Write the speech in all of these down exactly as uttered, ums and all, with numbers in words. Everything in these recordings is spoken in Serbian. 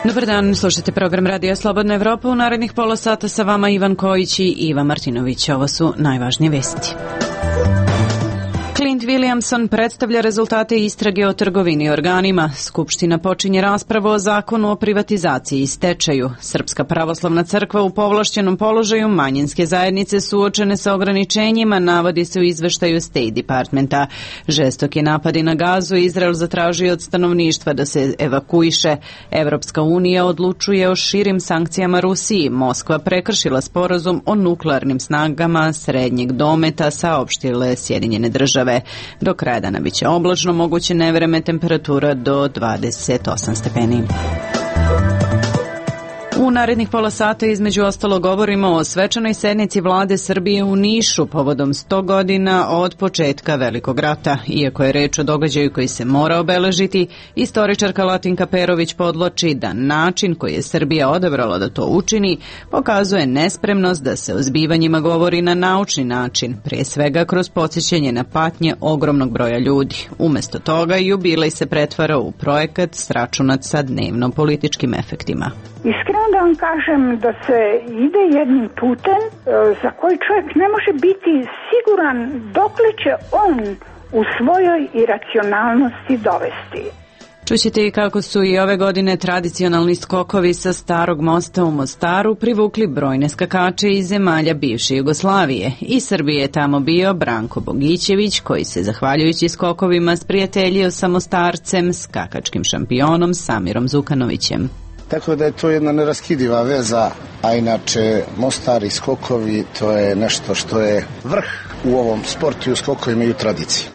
Dobar dan, slušajte program Radija Slobodna Evropa. U narednih pola sata sa vama Ivan Kojić i Iva Martinović. Ovo su najvažnije vesti. Clint Williamson predstavlja rezultate istrage o trgovini organima. Skupština počinje raspravu o zakonu o privatizaciji i stečaju. Srpska pravoslavna crkva u povlašćenom položaju, manjinske zajednice suočene sa ograničenjima, navodi se u izveštaju State Departmenta. Žestoki napadi na Gazu, Izrael zatražio od stanovništva da se evakuiše. Evropska unija odlučuje o širim sankcijama Rusiji. Moskva prekršila sporazum o nuklearnim snagama srednjeg dometa, saopštile Sjedinjene države. Do kraja dana biće oblačno, moguće nevreme, temperatura do dvadeset osam stepeni. U narednih pola sata između ostalo govorimo o svečanoj sednici vlade Srbije u Nišu povodom sto godina od početka Velikog rata. Iako je reč o događaju koji se mora obeležiti, istoričarka Latinka Perović podloči da način koji je Srbija odabrala da to učini pokazuje nespremnost da se o zbivanjima govori na naučni način, pre svega kroz podsjećanje na patnje ogromnog broja ljudi. Umesto toga, jubilej se pretvara u projekat sračunat sa dnevno političkim efektima. Iskreno da vam kažem da se ide jednim putem za koji čovjek ne može biti siguran dokle će on u svojoj iracionalnosti dovesti. Čućete i kako su i ove godine tradicionalni skokovi sa Starog mosta u Mostaru privukli brojne skakače iz zemalja bivše Jugoslavije. I Srbije je tamo bio Branko Bogićević, koji se zahvaljujući skokovima sprijateljio sa Mostarcem, skakačkim šampionom Samirom Zukanovićem. Tako da je to jedna neraskidiva veza, a inače Mostar i skokovi to je nešto što je vrh u ovom sportu i u skokovima i u tradiciji.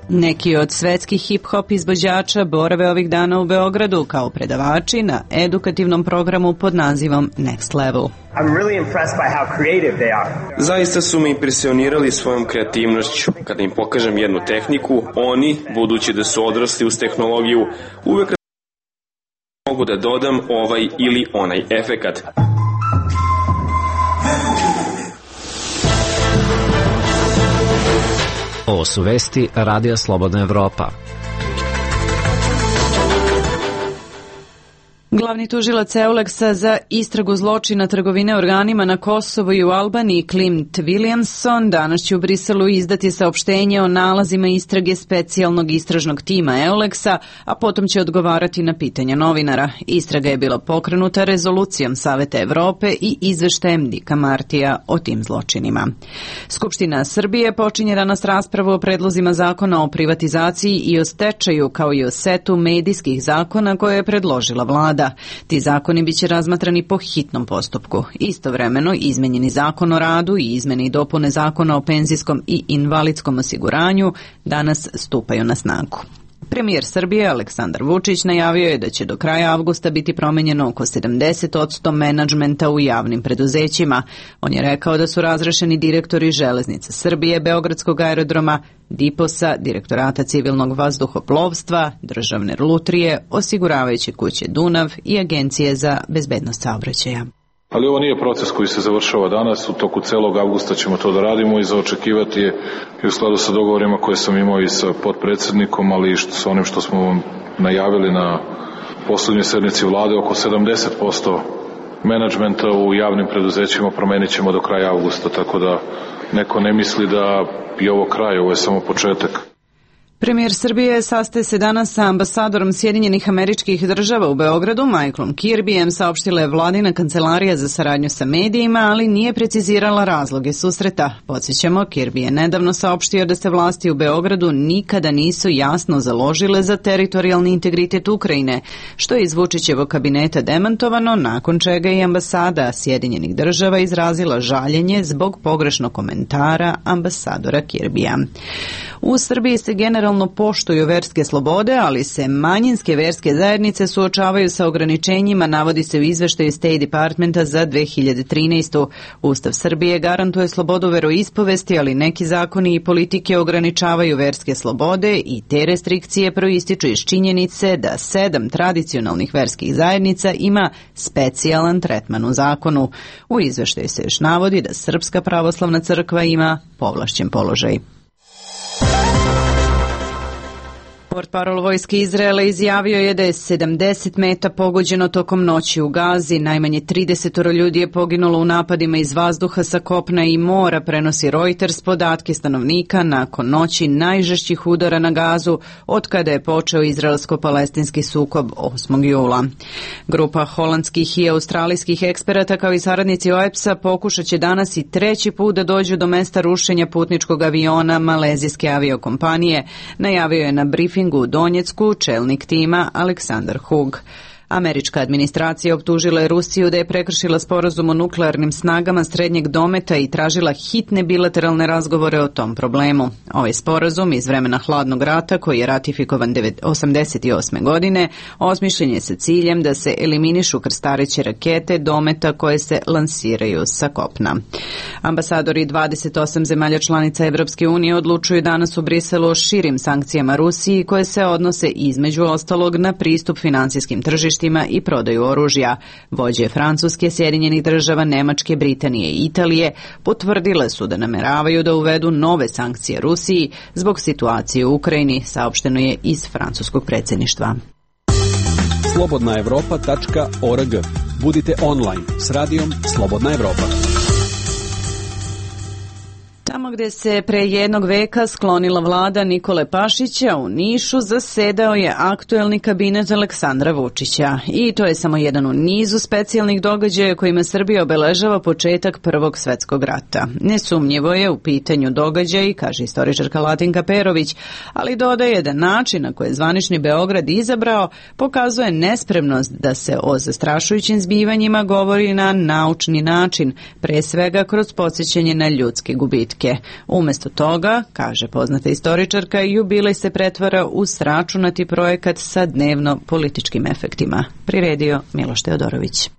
Neki od svetskih hip-hop izvođača borave ovih dana u Beogradu kao predavači na edukativnom programu pod nazivom Next Level. I'm really impressed by how creative they are. Zaista su me impresionirali svojom kreativnošću. Kada im pokažem jednu tehniku, oni, budući da su odrasli uz tehnologiju, uvek mogu da dodam ovaj ili onaj efekat. Ovo su vesti Radija Slobodna Evropa. Glavni tužilac Euleksa za istragu zločina trgovine organima na Kosovu i u Albaniji, Clint Williamson, danas će u Briselu izdati saopštenje o nalazima istrage specijalnog istražnog tima Euleksa, a potom će odgovarati na pitanja novinara. Istraga je bila pokrenuta rezolucijom Saveta Evrope i izveštajem Dika Martija o tim zločinima. Skupština Srbije počinje danas raspravu o predlozima zakona o privatizaciji i o stečaju, kao i o setu medijskih zakona koje je predložila vlada. Ti zakoni biće razmatrani po hitnom postupku. Istovremeno, izmenjeni zakon o radu i izmene i dopune zakona o penzijskom i invalidskom osiguranju danas stupaju na snagu. Premijer Srbije Aleksandar Vučić najavio je da će do kraja avgusta biti promenjeno oko sedamdeset posto menadžmenta u javnim preduzećima. On je rekao da su razrešeni direktori Železnice Srbije, Beogradskog aerodroma, Diposa, Direktorata civilnog vazduhoplovstva, Državne lutrije, osiguravajuće kuće Dunav i Agencije za bezbednost saobraćaja. Ali ovo nije proces koji se završava danas, u toku celog avgusta ćemo to da radimo i za očekivati je i u skladu sa dogovorima koje sam imao i sa potpredsednikom, ali i sa onim što smo vam najavili na poslednjoj sednici vlade, oko sedamdeset posto menadžmenta u javnim preduzećima promenit ćemo do kraja avgusta, tako da neko ne misli da je ovo kraj, ovo je samo početak. Premijer Srbije sastaje se danas sa ambasadorom Sjedinjenih Američkih Država u Beogradu, Michaelom Kirbyjem, saopštila je vladina kancelarija za saradnju sa medijima, ali nije precizirala razloge susreta. Podsjećamo, Kirby je nedavno saopštio da se vlasti u Beogradu nikada nisu jasno založile za teritorijalni integritet Ukrajine, što je iz Vučićevog kabineta demantovano, nakon čega je ambasada Sjedinjenih Država izrazila žaljenje zbog pogrešnog komentara ambasadora Kirbyja. U Srbiji se generalno poštuju verske slobode, ali se manjinske verske zajednice suočavaju sa ograničenjima, navodi se u izveštaju State Departmenta za dve hiljade trinaestu. Ustav Srbije garantuje slobodu veroispovesti, ali neki zakoni i politike ograničavaju verske slobode i te restrikcije proističu iz činjenice da sedam tradicionalnih verskih zajednica ima specijalan tretman u zakonu. U izveštaju se još navodi da Srpska pravoslavna crkva ima povlašćen položaj. Portparol vojske Izraela izjavio je da je sedamdeset meta pogođeno tokom noći u Gazi. Najmanje trideset ljudi je poginulo u napadima iz vazduha, sa kopna i mora, prenosi Reuters podatke stanovnika nakon noći najžešćih udara na Gazu od kada je počeo izraelsko-palestinski sukob osmog jula. Grupa holandskih i australijskih eksperata kao i saradnici O E P S-a pokušat će danas i treći put da dođu do mesta rušenja putničkog aviona malezijske aviokompanije, najavio je na briefingu u Donjecku čelnik tima Aleksandar Hug. Američka administracija optužila je Rusiju da je prekršila sporazum o nuklearnim snagama srednjeg dometa i tražila hitne bilateralne razgovore o tom problemu. Ovaj sporazum iz vremena hladnog rata, koji je ratifikovan osamdeset osme godine, osmišljen je sa ciljem da se eliminišu krstareće rakete dometa koje se lansiraju sa kopna. Ambasadori dvadeset osam zemalja članica Evropske unije odlučuju danas u Briselu o širim sankcijama Rusiji koje se odnose između ostalog na pristup finansijskim tržištima i prodaju oružja. Vođe Francuske, Sjedinjenih država, Nemačke, Britanije i Italije potvrdile su da nameravaju da uvedu nove sankcije Rusiji zbog situacije u Ukrajini, saopšteno je iz francuskog predsjedništva. slobodna evropa tačka org. Budite online s radijom Slobodna Evropa. Tamo gdje se pre jednog veka sklonila vlada Nikole Pašića, u Nišu zasedao je aktuelni kabinet Aleksandra Vučića. I to je samo jedan u nizu specijalnih događaja kojima Srbija obeležava početak Prvog svetskog rata. Nesumnjivo je u pitanju događaj, kaže istoričarka Latinka Perović, ali dodaje da način na koji je zvanični Beograd izabrao pokazuje nespremnost da se o zastrašujućim zbivanjima govori na naučni način, pre svega kroz podsjećanje na ljudske gubitke. Umesto toga, kaže poznata istoričarka, jubilej se pretvara u sračunati projekat sa dnevno političkim efektima. Priredio Miloš Teodorović.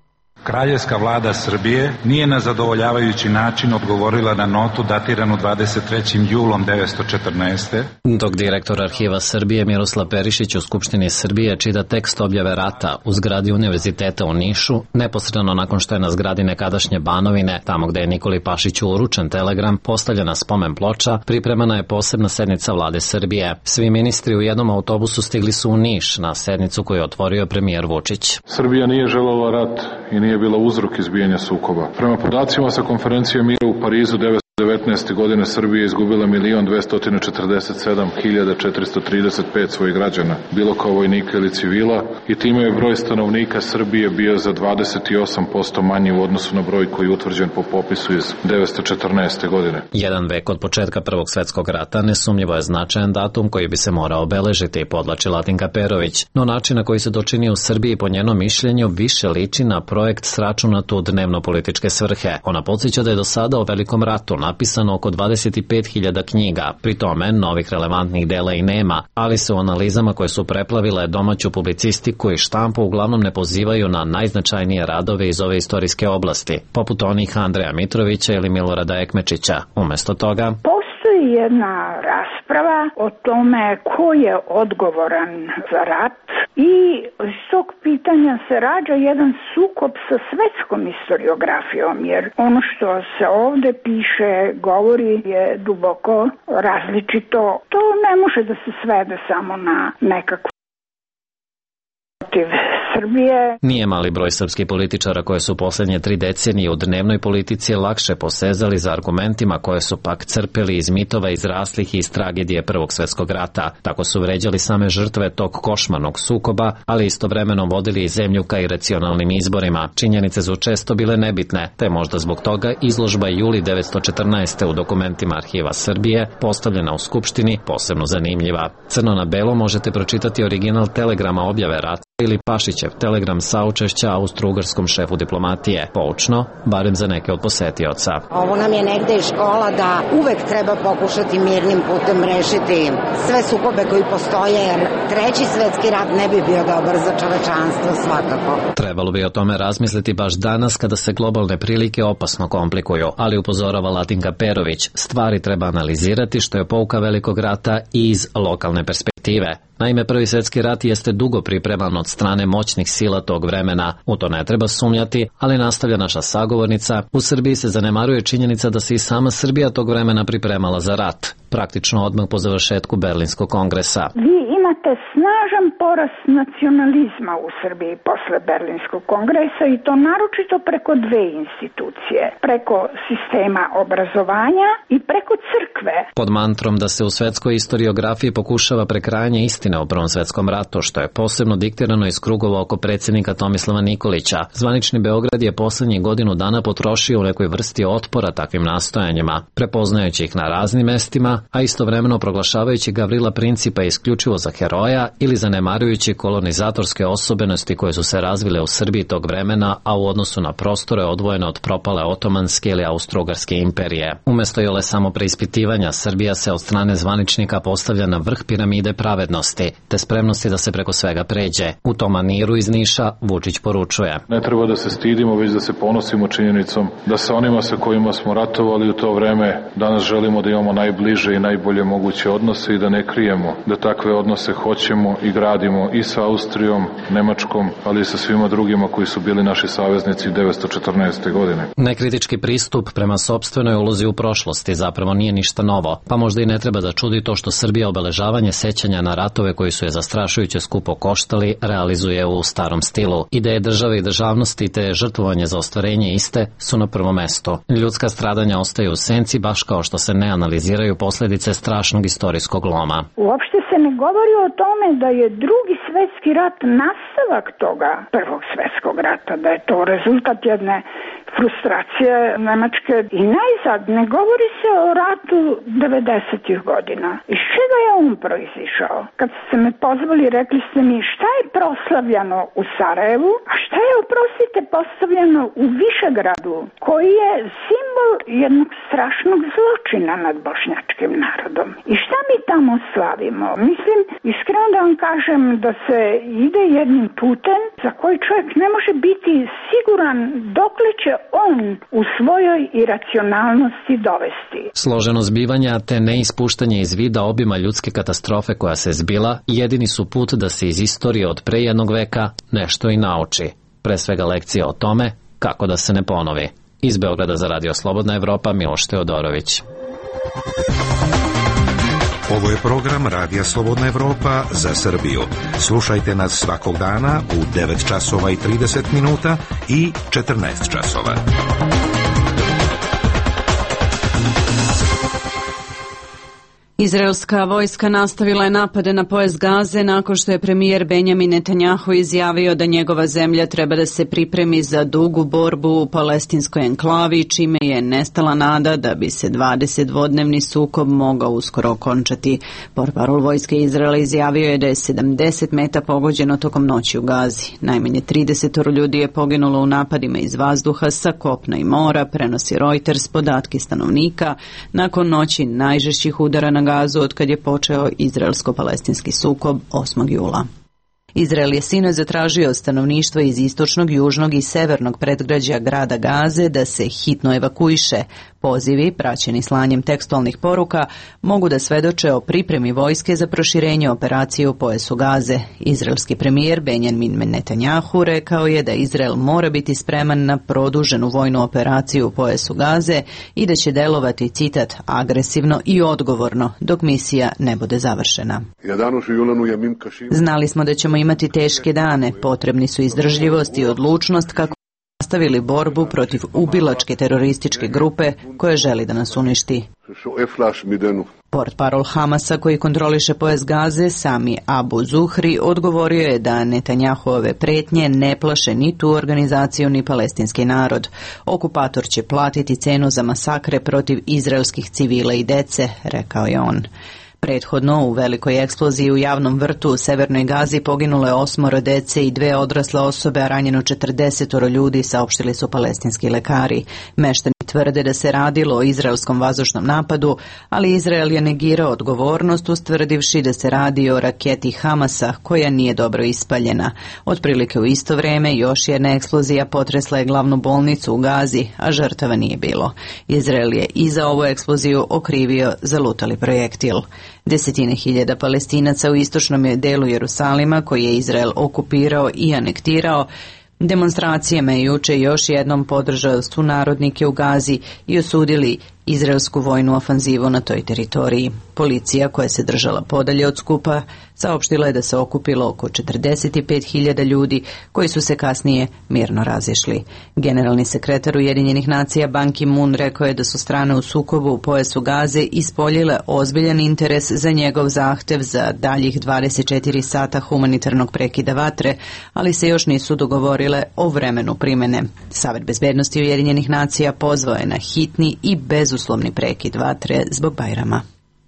Kraljevska vlada Srbije nije na zadovoljavajući način odgovorila na notu datiranu dvadeset trećim julom devetsto četrnaeste. Dok direktor Arhiva Srbije Miroslav Perišić u Skupštini Srbije čita tekst objave rata u zgradi Univerziteta u Nišu, neposredno nakon što je na zgradi nekadašnje Banovine, tamo gde je Nikoli Pašiću uručen telegram, postavljena spomen ploča, pripremana je posebna sednica vlade Srbije. Svi ministri u jednom autobusu stigli su u Niš na sednicu koju je otvorio premijer Vučić. Srbija nije želela rat i nije bila uzrok izbijanja sukoba. Prema podacima sa konferencije mira u Parizu devetsto devetnaeste. godine Srbija izgubila milion dvesta četrdeset sedam hiljada četiristo trideset pet svojih građana, bilo kao vojnika ili civila, i time je broj stanovnika Srbije bio za dvadeset osam posto manji u odnosu na broj koji je utvrđen po popisu iz devetsto četrnaeste. godine. Jedan vek od početka Prvog svetskog rata nesumnjivo je značajan datum koji bi se morao obeležiti, podlači Latinka Perović, no način na koji se to čini u Srbiji po njenom mišljenju više liči na projekt sračunat u dnevno-političke svrhe. Ona podsjeća da je do sada o Velikom ratu napisano oko dvadeset pet hiljada knjiga, pri tome novih relevantnih dela i nema, ali se u analizama koje su preplavile domaću publicistiku i štampu uglavnom ne pozivaju na najznačajnije radove iz ove istorijske oblasti, poput onih Andreja Mitrovića ili Milorada Ekmečića. Umesto toga, postoji jedna rasprava o tome ko je odgovoran za rat i iz tog pitanja se rađa jedan sukob sa svetskom historiografijom, jer ono što se ovde piše, govori, je duboko različito. To ne može da se svede samo na nekakvu protiv Srbije. Nije mali broj srpskih političara koje su poslednje tri decenije u dnevnoj politici lakše posezali za argumentima koje su pak crpeli iz mitova izraslih iz tragedije Prvog svetskog rata. Tako su vređali same žrtve tog košmarnog sukoba, ali istovremeno vodili i zemlju ka iracionalnim izborima. Činjenice su često bile nebitne, te možda zbog toga izložba juli devetsto četrnaeste. u dokumentima Arhiva Srbije, postavljena u Skupštini, posebno zanimljiva. Crno na belo možete pročitati original telegrama objave rata ili Pašić Vučićev telegram saučešća austro-ugarskom šefu diplomatije. Poučno, barem za neke od posetioca. Ovo nam je negde i škola da uvek treba pokušati mirnim putem rešiti sve sukobe koji postoje, jer treći svetski rat ne bi bio dobar za čovečanstvo svakako. Trebalo bi o tome razmisliti baš danas kada se globalne prilike opasno komplikuju, ali upozorava Latinka Perović, stvari treba analizirati što je pouka velikog rata i iz lokalne perspektive. Naime, Prvi svetski rat jeste dugo pripreman od strane moćnih sila tog vremena, u to ne treba sumnjati, ali nastavlja naša sagovornica, u Srbiji se zanemaruje činjenica da se i sama Srbija tog vremena pripremala za rat, praktično odmah po završetku Berlinskog kongresa. Vi imate snažan porast nacionalizma u Srbiji posle Berlinskog kongresa i to naročito preko dve institucije, preko sistema obrazovanja i preko crkve. Pod mantrom da se u svetskoj istoriografiji pokušava prekrajanje istine o Prvom svetskom ratu, što je posebno diktirano iz krugova oko predsjednika Tomislava Nikolića. Zvanični Beograd je poslednjih godinu dana potrošio u nekoj vrsti otpora takvim nastojanjima, prepoznajući ih na raznim mestima, a istovremeno proglašavajući Gavrila Principa isključivo za heroja ili zanemarujući kolonizatorske osobenosti koje su se razvile u Srbiji tog vremena, a u odnosu na prostore odvojene od propale otomanske ili austro-ugarske imperije. Umesto jole samo preispitivanja, Srbija se od strane zvaničnika postavlja na vrh piramide pravednosti, te spremnosti da se preko svega pređe. U tom maniru iz Niša Vučić poručuje: Ne treba da se stidimo, već da se ponosimo činjenicom da sa onima sa kojima smo ratovali u to vreme danas želimo da imamo najbliže i najbolje moguće odnose i da ne krijemo da takve odnose hoćemo i gradimo i sa Austrijom, Nemačkom, ali i sa svima drugima koji su bili naši saveznici devetsto četrnaeste. godine. Nekritički pristup prema sopstvenoj ulozi u prošlosti zapravo nije ništa novo, pa možda i ne treba da čudi to što Srbija obeležavanje sećanja na ratove koji su je zastrašujuće skupo koštali realizuje u starom stilu. Ideje države i državnosti te žrtvovanje za ostvarenje iste su na prvom mestu. Ljudska stradanja ostaju u senci baš kao što se ne analiziraju posljedice strašnog istorijskog loma. Uopšte se ne govori o tome da je drugi svetski rat nastavak toga prvog svetskog rata, da je to rezultat jedne frustracije Nemačke i najzad ne govori se o ratu devedesetih godina. Iz čega je on proizišao? Kad ste me pozvali, rekli ste mi šta je proslavljano u Sarajevu, a šta je, oprostite, postavljeno u Višegradu, koji je simbol jednog strašnog zločina nad bošnjačkim narodom. I šta mi tamo slavimo? Mislim, iskreno da vam kažem da se ide jednim putem za koji čovjek ne može biti siguran dokle će on u svojoj iracionalnosti dovesti. Složeno zbivanja te neispuštanje iz vida obima ljudske katastrofe koja se zbila jedini su put da se iz istorije od pre jednog veka nešto i nauči. Pre svega lekcija o tome kako da se ne ponovi. Iz Beograda za Radio Slobodna Evropa, Miloš Teodorović. Ovo je program Radija Slobodna Evropa za Srbiju. Slušajte nas svakog dana u devet časova i trideset minuta i četrnaest časova. Izraelska vojska nastavila je napade na pojas Gaze nakon što je premijer Benjamin Netanjahu izjavio da njegova zemlja treba da se pripremi za dugu borbu u palestinskoj enklavi, čime je nestala nada da bi se dvadesetdvodnevni sukob mogao uskoro okončati. Portparol vojske Izraela izjavio je da je sedamdeset meta pogođeno tokom noći u Gazi. Najmanje trideset ljudi je poginulo u napadima iz vazduha, sa kopna i mora, prenosi Reuters podatke stanovnika nakon noći najžešćih udara na Gazu od kad je počeo izraelsko-palestinski sukob osmog jula. Izrael je sinoć zatražio od stanovništva iz istočnog, južnog i severnog predgrađa grada Gaze da se hitno evakuiše. Pozivi, praćeni slanjem tekstualnih poruka, mogu da svedoče o pripremi vojske za proširenje operacije u pojasu Gaze. Izraelski premijer Benjamin Netanjahu rekao je da Izrael mora biti spreman na produženu vojnu operaciju u pojasu Gaze i da će delovati, citat, agresivno i odgovorno dok misija ne bude završena. Znali smo da ćemo imati teške dane, potrebni su izdržljivost i odlučnost kako nastavili borbu protiv ubilačke terorističke grupe koja želi da nas uništi. Portparol Hamasa koji kontroliše pojas Gaze, Sami Abu Zuhri, odgovorio je da Netanjahuove pretnje ne plaše ni tu organizaciju ni palestinski narod. Okupator će platiti cenu za masakre protiv izraelskih civila i dece, rekao je on. Prethodno, u velikoj eksploziji u javnom vrtu u Severnoj Gazi poginulo je osmoro dece i dve odrasle osobe, a ranjeno četrdesetoro ljudi, saopštili su palestinski lekari. Meštani tvrde da se radilo o izraelskom vazdušnom napadu, ali Izrael je negirao odgovornost, ustvrdivši da se radi o raketi Hamasa, koja nije dobro ispaljena. Otprilike u isto vreme još jedna eksplozija potresla je glavnu bolnicu u Gazi, a žrtava nije bilo. Izrael je i za ovu eksploziju okrivio zalutali projektil. Desetine hiljada Palestinaca u istočnom delu Jerusalima, koji je Izrael okupirao i anektirao, demonstracijama je juče još jednom podržao sunarodnike u Gazi i osudili izraelsku vojnu ofanzivu na toj teritoriji. Policija, koja se držala podalje od skupa, saopštila je da se okupilo oko četrdeset pet hiljada ljudi, koji su se kasnije mirno razišli. Generalni sekretar Ujedinjenih nacija Ban Ki-moon rekao je da su strane u sukobu u pojasu Gaze ispoljile ozbiljan interes za njegov zahtev za daljih dvadeset četiri sata humanitarnog prekida vatre, ali se još nisu dogovorile o vremenu primene. Savet bezbednosti Ujedinjenih nacija pozvao je na hitni i bezuslovni prekid vatre zbog Bajrama.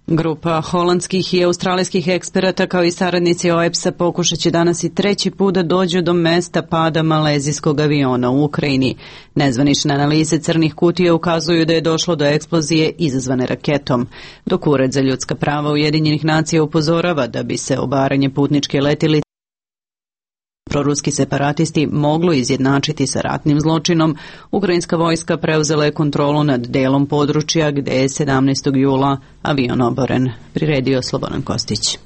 Grupa holandskih i australijskih eksperata kao i saradnici O E P S-a pokušat će danas i treći put da dođu do mesta pada malezijskog aviona u Ukrajini. Nezvanične analize crnih kutija ukazuju da je došlo do eksplozije izazvane raketom, dok Ured za ljudska prava Ujedinjenih nacija upozorava da bi se obaranje putničke letilice proruski separatisti moglo izjednačiti sa ratnim zločinom. Ukrajinska vojska preuzela je kontrolu nad delom područja gde je sedamnaestog jula avion oboren. Priredio Slobodan Kostić.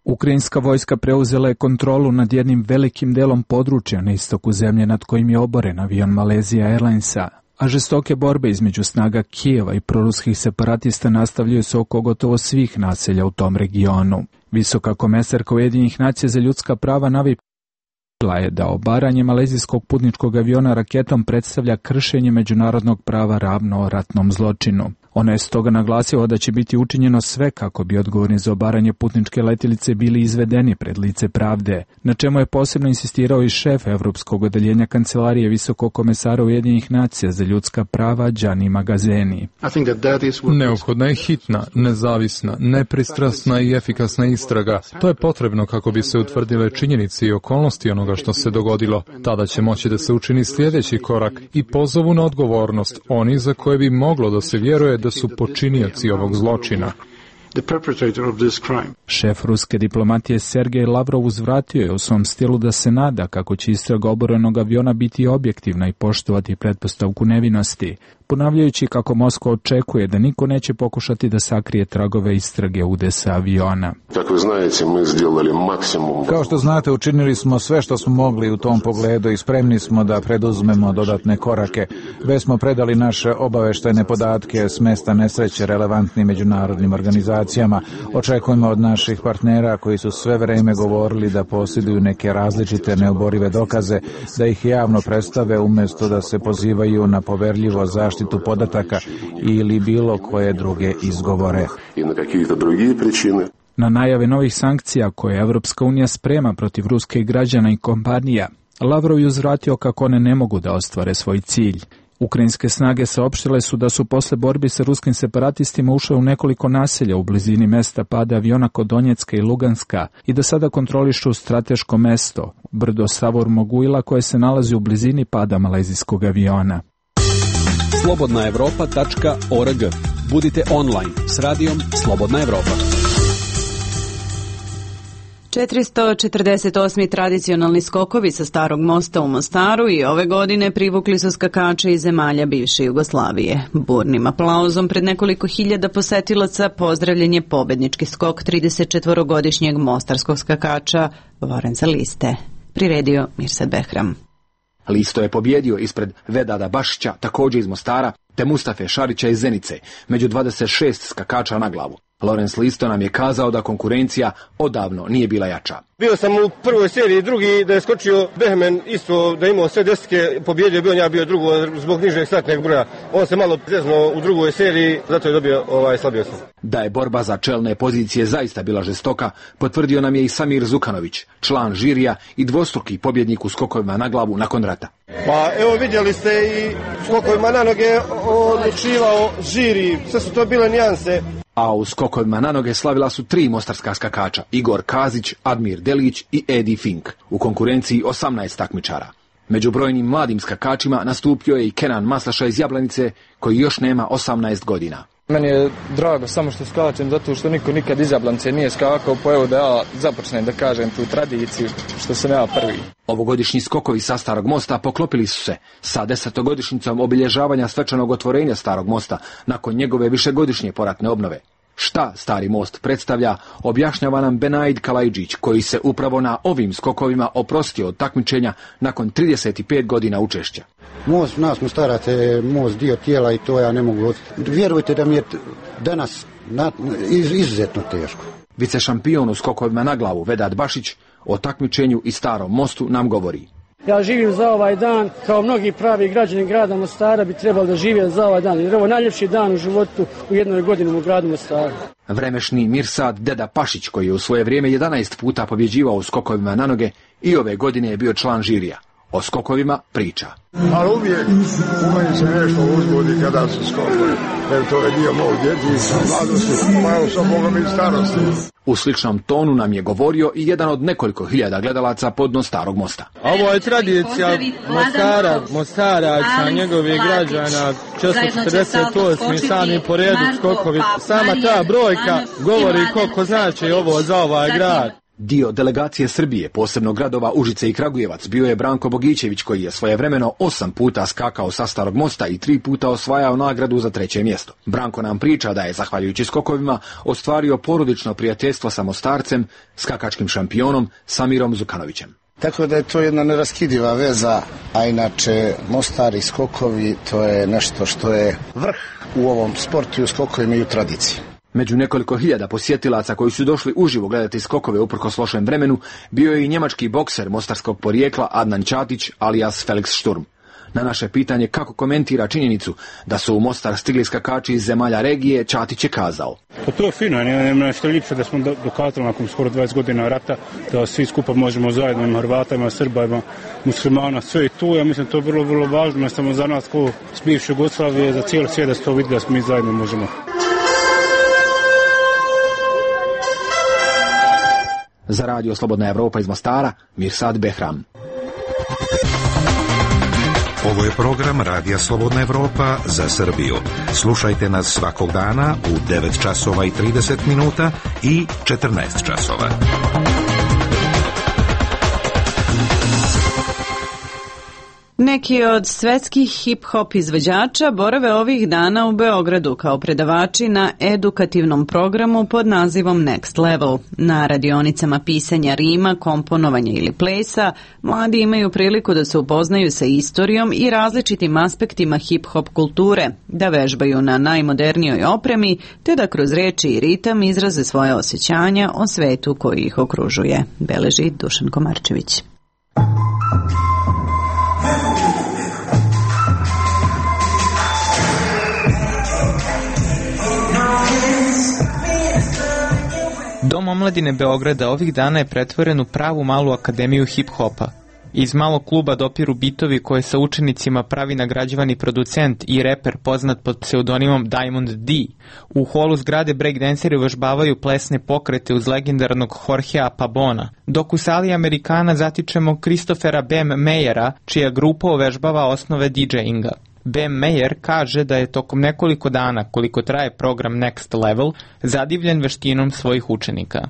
Ukrajinska vojska preuzela je kontrolu nad jednim velikim delom područja na istoku zemlje nad kojim je oboren avion Malaysia Airlinesa, a žestoke borbe između snaga Kijeva i proruskih separatista nastavljaju se oko gotovo svih naselja u tom regionu. Visoka komesarka Ujedinjenih nacija za ljudska prava Navi je da obaranje malezijskog putničkog aviona raketom predstavlja kršenje međunarodnog prava ravno ratnom zločinu. Ona je stoga naglasila da će biti učinjeno sve kako bi odgovorni za obaranje putničke letilice bili izvedeni pred lice pravde, na čemu je posebno insistirao i šef Evropskog odeljenja Kancelarije Visokog komesara Ujedinjenih nacija za ljudska prava Gianni Magazzeni. Neophodna je hitna, nezavisna, nepristrasna i efikasna istraga. To je potrebno kako bi se utvrdile činjenice i okolnosti onoga što se dogodilo. Tada će moći da se učini sljedeći korak i pozovu na odgovornost oni za koje bi moglo da se vjeruje da su počinioci ovog zločina. Šef ruske diplomatije Sergej Lavrov uzvratio je u svom stilu da se nada kako će istraga oborenog aviona biti objektivna i poštovati pretpostavku nevinosti, ponavljajući kako Moskva očekuje da niko neće pokušati da sakrije tragove istrage udesa aviona. Kao što znate, učinili smo sve što smo mogli u tom pogledu i spremni smo da preduzmemo dodatne korake. Već smo predali naše obaveštajne podatke s mesta nesreće relevantnim međunarodnim organizacijama. Očekujemo od naših partnera koji su sve vreme govorili da posjeduju neke različite neoborive dokaze, da ih javno predstave umjesto da se pozivaju na poverljivo zaštitu podataka ili bilo koje druge izgovore. Na najave novih sankcija koje Evropska unija sprema protiv ruske građana i kompanija, Lavrov je uzvratio kako one ne mogu da ostvare svoj cilj. Ukrajinske snage saopštile su da su posle borbi sa ruskim separatistima ušle u nekoliko naselja u blizini mesta pada aviona kod Donjecka i Luganska i da sada kontrolišu strateško mesto, brdo Savor Moguila, koje se nalazi u blizini pada malezijskog aviona. slobodna evropa tačka org. Budite online s radijom Slobodna Evropa. četiristo četrdeset osmi tradicionalni skokovi sa Starog mosta u Mostaru i ove godine privukli su skakače iz zemalja bivše Jugoslavije. Burnim aplauzom pred nekoliko hiljada posetilaca pozdravljen je pobednički skok tridesetčetvorogodišnjeg mostarskog skakača Lorenza Liste. Priredio Mirsad Behram. Listo je pobjedio ispred Vedada Bašića, također iz Mostara, te Mustafe Šarića iz Zenice, među dvadeset šest skakača na glavu. Lorenz Listo nam je kazao da konkurencija odavno nije bila jača. Bio sam u prvoj seriji, drugi da je skočio Behmen, isto da imao sve desetke, pobjedio bio, ja bio drugo zbog nižeg startnog broja. On se malo zeznuo u drugoj seriji, zato je dobio ovaj slabio sam. Da je borba za čelne pozicije zaista bila žestoka, potvrdio nam je i Samir Zukanović, član žirija i dvostruki pobjednik u skokovima na glavu nakon rata. Pa evo vidjeli ste i skokovima na noge odlučivao žiri, sve su to bile nijanse. A u skokovima na noge slavila su tri mostarska skakača, Igor Kazić, Admir Delić i Edi Fink, u konkurenciji osamnaest takmičara. Među brojnim mladim skakačima nastupio je i Kenan Maslaša iz Jablanice, koji još nema osamnaest godina. Meni je drago samo što skačem, zato što niko nikad iz Jablanice nije skakao, pa evo da ja započnem da kažem tu tradiciju, što sam ja prvi. Ovogodišnji skokovi sa Starog mosta poklopili su se sa desetogodišnjicom obilježavanja svečanog otvorenja Starog mosta nakon njegove višegodišnje poratne obnove. Šta Stari most predstavlja, objašnjava nam Benaid Kalajđić, koji se upravo na ovim skokovima oprostio od takmičenja nakon trideset pet godina učešća. Most nas Mostaraca je most dio tijela i to ja ne mogu. Vjerujte da mi je danas na, iz, izuzetno teško. Vicešampion u skokovima na glavu Vedad Bašić o takmičenju i Starom mostu nam govori. Ja živim za ovaj dan, kao mnogi pravi građani grada Mostara bi trebali da žive za ovaj dan, jer ovo je najljepši dan u životu u jednoj godini u gradu Mostaru. Vremešni Mirsad Deda Pašić, koji je u svoje vrijeme jedanaest puta pobjeđivao u skokovima na noge, i ove godine je bio član žirija. O skokovima priča. Ali uvijek u meni se nešto uzbudi kada su skokovi, jer to je dio mog djetinjstva, mladosti, malo sa Bogom i starosti. U sličnom tonu nam je govorio i jedan od nekoliko hiljada gledalaca podno Starog mosta. Ovo je tradicija Mostara, Mostaraca, njegovih građana, četiristo četrdeset osam sami po redu skokovi. Sama ta brojka govori koliko znači ovo za ovaj grad. Dio delegacije Srbije, posebno gradova Užice i Kragujevac, bio je Branko Bogićević, koji je svojevremeno osam puta skakao sa Starog mosta i tri puta osvajao nagradu za treće mjesto. Branko nam priča da je, zahvaljujući skokovima, ostvario porodično prijateljstvo sa Mostarcem, skakačkim šampionom Samirom Zukanovićem. Tako da je to jedna neraskidiva veza, a inače Mostar i skokovi to je nešto što je vrh u ovom sportu i u skokovima i u tradiciji. Među nekoliko hiljada posjetilaca koji su došli uživo gledati skokove uprkos lošem vremenu bio je i njemački bokser mostarskog porijekla Adnan Ćatić alias Felix Sturm. Na naše pitanje kako komentira činjenicu da su u Mostar stigli skakači iz zemalja regije, Ćatić je kazao. Pa to je fino, nema nešto ljepše da smo dokazali nakon skoro dvadeset godina rata, da svi skupa možemo zajedno, ima Hrvata, ima Srba, ima muslimana, sve i tu. Ja mislim to je vrlo, vrlo važno, ne samo za nas ko s bivše Jugoslavije, za cijeli svijet da se to vidi da mi zajedno možemo. Za radio Slobodna Evropa iz Mostara, Mirsad Behram. Ovo je program Radija Slobodna Evropa za Srbiju. Slušajte nas svakog dana u devet časova i trideset minuta i četrnaest časova. Neki od svetskih hip-hop izvođača borave ovih dana u Beogradu kao predavači na edukativnom programu pod nazivom Next Level. Na radionicama pisanja rima, komponovanja ili plesa, mladi imaju priliku da se upoznaju sa istorijom i različitim aspektima hip-hop kulture, da vežbaju na najmodernijoj opremi, te da kroz reči i ritam izraze svoje osjećanja o svetu koji ih okružuje, beleži Dušan Komarčević. Dom omladine Beograda ovih dana je pretvoren u pravu malu akademiju hip-hopa. Iz malog kluba dopiru bitovi koje sa učenicima pravi nagrađivani producent i reper poznat pod pseudonimom Diamond D. U holu zgrade breakdanceri uvežbavaju plesne pokrete uz legendarnog Jorgea Pabona, dok u sali Amerikana zatičemo Christophera Bam Mayera, čija grupa uvežbava osnove DJinga. Bam Mayer kaže da je tokom nekoliko dana, koliko traje program Next Level, zadivljen veštinom svojih učenika.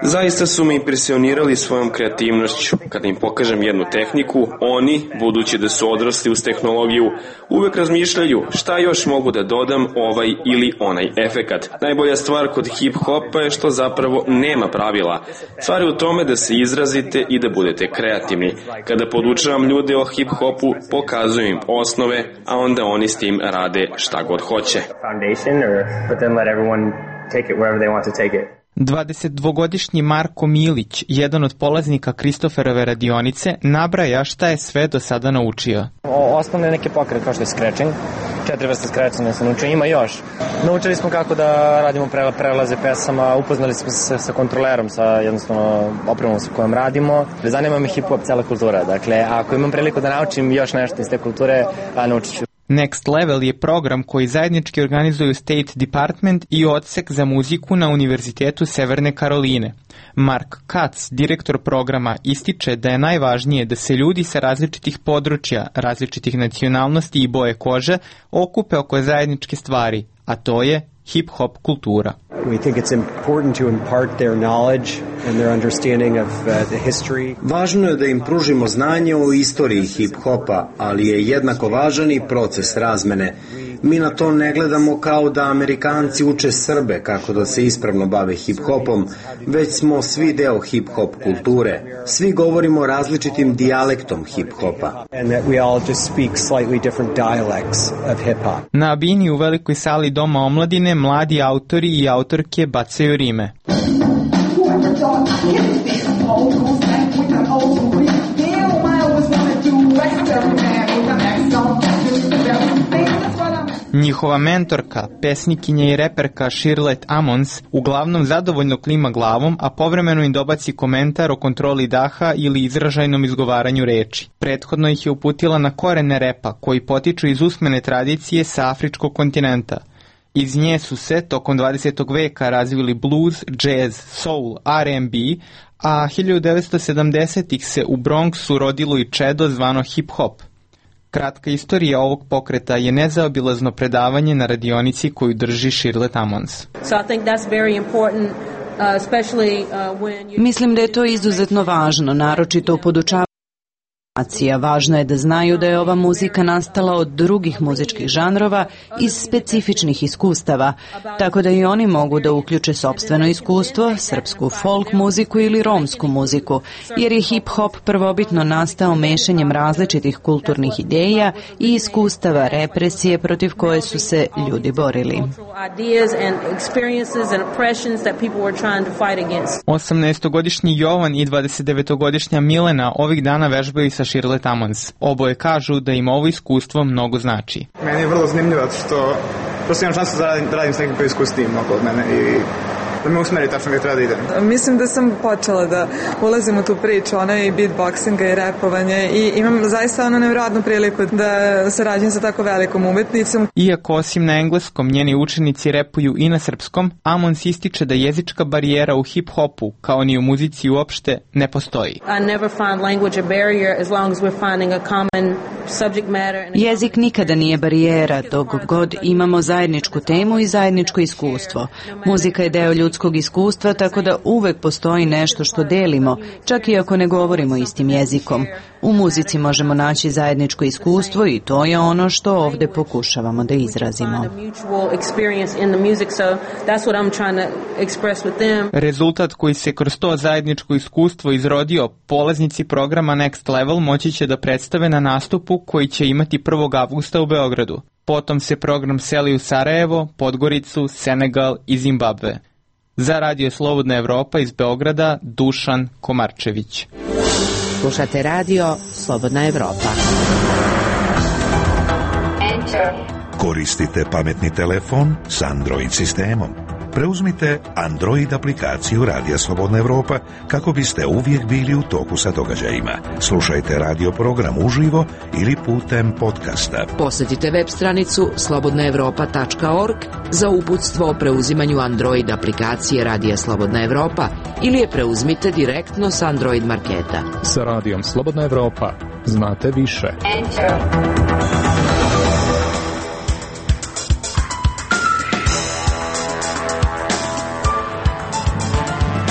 Zaista su me impresionirali svojom kreativnošću. Kada im pokažem jednu tehniku, oni, budući da su odrasli uz tehnologiju, uvek razmišljaju šta još mogu da dodam ovaj ili onaj efekat. Najbolja stvar kod hip-hopa je što zapravo nema pravila. Stvar je u tome da se izrazite i da budete kreativni. Kada podučavam ljude o hip-hopu, pokazujem im osnove, a onda oni s tim rade šta god hoće. dvadesetdvogodišnji Marko Milić, jedan od polaznika Kristoferove radionice, nabraja šta je sve do sada naučio. Osnovne neke pokrete kao što je scratching, četiri vrste scratchinga se naučio, ima još. Naučili smo kako da radimo prelaze pesama, upoznali smo se sa kontrolerom, sa jednostavno opremom sa kojom radimo. Zanima me hip-hop, cela kultura, dakle ako imam priliku da naučim još nešto iz te kulture, naučit ću. Next Level je program koji zajednički organizuju State Department i odsek za muziku na Univerzitetu Severne Karoline. Mark Katz, direktor programa, ističe da je najvažnije da se ljudi sa različitih područja, različitih nacionalnosti i boje kože okupe oko zajedničke stvari, a to je hip-hop kultura. We think it's important to impart their knowledge and their understanding of uh, the history. Važno je da im pružimo znanje o istoriji hip-hopa, ali je jednako važan i proces razmene. Mi na to ne gledamo kao da Amerikanci uče Srbe kako da se ispravno bave hip-hopom, već smo svi deo hip-hop kulture. Svi govorimo različitim dijalektom hip-hopa. And that we all just speak slightly different dialects of hip-hop. Na bini u velikoj sali Doma omladine mladi autori i autorke bacaju rime. Njihova mentorka, pesnikinja i reperka Shirlette Ammons uglavnom zadovoljno klima glavom, a povremeno im dobaci komentar o kontroli daha ili izražajnom izgovaranju reči. Prethodno ih je uputila na korene repa, koji potiču iz usmene tradicije sa afričkog kontinenta. Iz nje su se tokom dvadesetog veka razvili blues, jazz, soul, R and B, a hiljadu devetsto sedamdesetih se u Bronxu rodilo i čedo zvano hip-hop. Kratka istorija ovog pokreta je nezaobilazno predavanje na radionici koju drži Shirlette Ammons. Mislim da je to izuzetno važno, naročito u podučavanju. Važno je da znaju da je ova muzika nastala od drugih muzičkih žanrova iz specifičnih iskustava, tako da i oni mogu da uključe sopstveno iskustvo, srpsku folk muziku ili romsku muziku, jer je hip-hop prvobitno nastao mešanjem različitih kulturnih ideja i iskustava represije protiv koje su se ljudi borili. osamnaestogodišnji Jovan i dvadesetdevetogodišnja Milena ovih dana vežbaju sa Shirlette Ammons. Oboje kažu da im ovo iskustvo mnogo znači. Meni je vrlo zanimljivo što prosto imam šansu da radim, da radim s nekim koji iskustvim oko mene i da me usmeri tačno gdje treba da idem. Mislim da sam počela da ulazim u tu priču, ono i beatboxinga i repovanje i imam zaista ono nevjerojatnu priliku da sarađujem sa tako velikom umetnicom. Iako osim na engleskom njeni učenici repuju i na srpskom, Ammons ističe da jezička barijera u hip-hopu, kao ni u muzici uopšte, ne postoji. Jezik nikada nije barijera, dok god imamo zajedničku temu i zajedničko iskustvo. Muzika je deo ljudskog iskustva, tako da uvek postoji nešto što delimo, čak i ako ne govorimo istim jezikom. U muzici možemo naći zajedničko iskustvo i to je ono što ovde pokušavamo da izrazimo. Rezultat koji se kroz to zajedničko iskustvo izrodio, polaznici programa Next Level moći će da predstave na nastupu koji će imati prvog avgusta u Beogradu. Potom se program seli u Sarajevo, Podgoricu, Senegal i Zimbabve. Za Radio Slobodna Evropa iz Beograda, Dušan Komarčević. Slušate Radio Slobodna Evropa. Koristite pametni telefon s Android sistemom. Preuzmite Android aplikaciju Radija Slobodna Evropa kako biste uvijek bili u toku sa događajima. Slušajte radio program uživo ili putem podcasta. Posjetite web stranicu slobodna evropa tačka org za uputstvo o preuzimanju Android aplikacije Radija Slobodna Evropa ili je preuzmite direktno s Android marketa. Sa Radijom Slobodna Evropa znate više. Enter.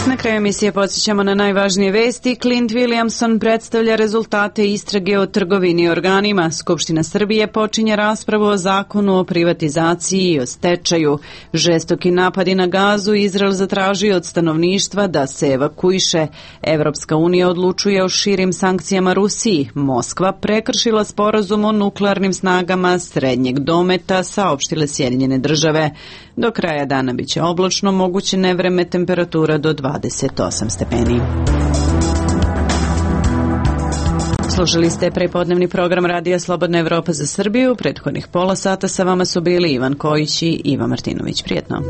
Na kraju emisije podsjećamo na najvažnije vesti. Clint Williamson predstavlja rezultate istrage o trgovini organima. Skupština Srbije počinje raspravu o zakonu o privatizaciji i o stečaju. Žestoki napadi na Gazu Izrael zatražio od stanovništva da se evakuiše. Evropska unija odlučuje o širim sankcijama Rusiji. Moskva prekršila sporazum o nuklearnim snagama srednjeg dometa, saopštile Sjedinjene države. Do kraja dana biće oblačno, moguće nevreme, temperatura do dvadeset osam stepeni. Slušali ste prepodnevni program Radija Slobodna Evropa za Srbiju. Prethodnih pola sata sa vama su bili Ivan Kojić i Iva Martinović. Prijetno.